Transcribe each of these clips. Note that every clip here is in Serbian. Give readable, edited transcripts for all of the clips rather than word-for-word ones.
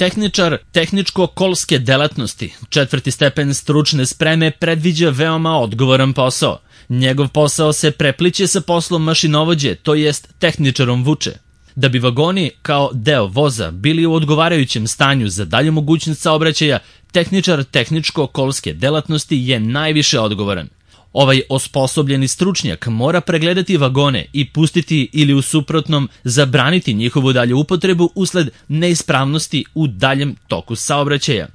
Tehničar tehničko-kolske delatnosti, 4. stepen stručne spreme, predviđa veoma odgovoran posao. Njegov posao se prepliće sa poslom mašinovođe, to jest tehničarom vuče. Da bi vagoni kao deo voza bili u odgovarajućem stanju za dalju mogućnost saobraćaja, tehničar tehničko-kolske delatnosti je najviše odgovoran. Ovaj osposobljeni stručnjak mora pregledati vagone i pustiti ili u suprotnom zabraniti njihovu dalju upotrebu usled neispravnosti u daljem toku saobraćaja.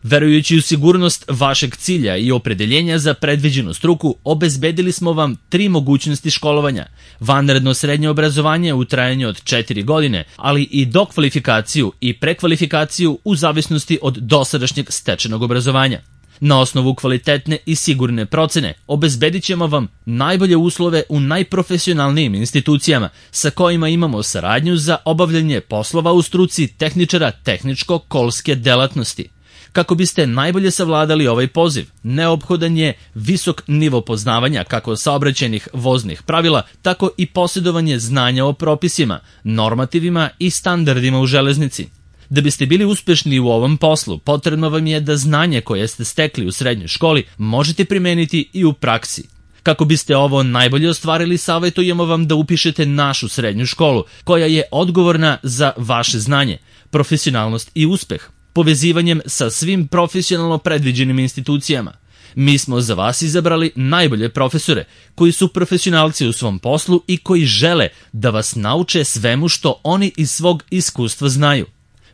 Verujući u sigurnost vašeg cilja i opredeljenja za predviđenu struku, obezbedili smo vam 3 mogućnosti školovanja: vanredno srednje obrazovanje u trajanju od 4 godine, ali i dokvalifikaciju i prekvalifikaciju u zavisnosti od dosadašnjeg stečenog obrazovanja. Na osnovu kvalitetne i sigurne procene obezbedit ćemo vam najbolje uslove u najprofesionalnijim institucijama sa kojima imamo saradnju za obavljanje poslova u struci tehničara tehničko-kolske delatnosti. Kako biste najbolje savladali ovaj poziv, neophodan je visok nivo poznavanja kako saobraćajnih voznih pravila, tako i posjedovanje znanja o propisima, normativima i standardima u železnici. Da biste bili uspešni u ovom poslu, potrebno vam je da znanje koje ste stekli u srednjoj školi možete primeniti i u praksi. Kako biste ovo najbolje ostvarili, savjetujemo vam da upišete našu srednju školu, koja je odgovorna za vaše znanje, profesionalnost i uspeh, povezivanjem sa svim profesionalno predviđenim institucijama. Mi smo za vas izabrali najbolje profesore, koji su profesionalci u svom poslu i koji žele da vas nauče svemu što oni iz svog iskustva znaju.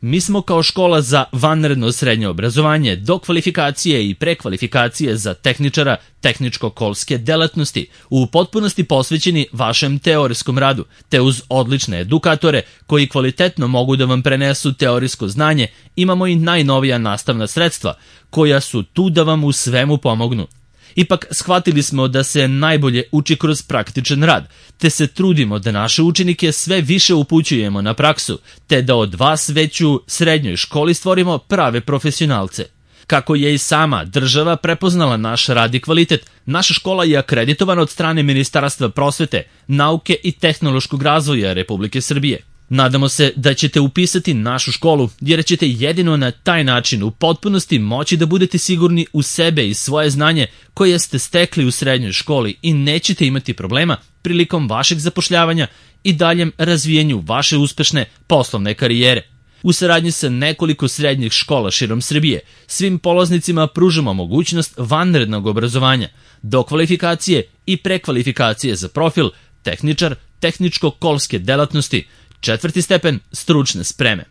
Mi smo kao škola za vanredno srednje obrazovanje, dokvalifikacije i prekvalifikacije za tehničara tehničko-kolske delatnosti u potpunosti posvećeni vašem teorijskom radu, te uz odlične edukatore koji kvalitetno mogu da vam prenesu teorijsko znanje, imamo i najnovija nastavna sredstva koja su tu da vam u svemu pomognu. Ipak shvatili smo da se najbolje uči kroz praktičan rad, te se trudimo da naše učenike sve više upućujemo na praksu, te da od vas već u srednjoj školi stvorimo prave profesionalce. Kako je i sama država prepoznala naš rad i kvalitet, naša škola je akreditovana od strane Ministarstva prosvete, nauke i tehnološkog razvoja Republike Srbije. Nadamo se da ćete upisati našu školu, jer ćete jedino na taj način u potpunosti moći da budete sigurni u sebe i svoje znanje koje ste stekli u srednjoj školi i nećete imati problema prilikom vašeg zapošljavanja i daljem razvijenju vaše uspešne poslovne karijere. U saradnji sa nekoliko srednjih škola širom Srbije, svim polaznicima pružamo mogućnost vanrednog obrazovanja, dokvalifikacije i prekvalifikacije za profil tehničar tehničko-kolske delatnosti, 4. stepen stručne spreme.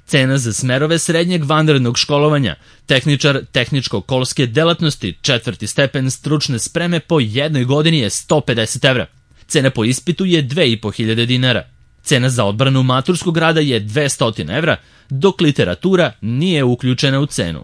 Cena za smerove srednjeg vanrednog školovanja, tehničar tehničko-kolske delatnosti, 4. stepen stručne spreme po jednoj godini je 150 evra. Cena po ispitu je 2500 dinara. Cena za odbranu maturskog rada je 200 evra, dok literatura nije uključena u cenu.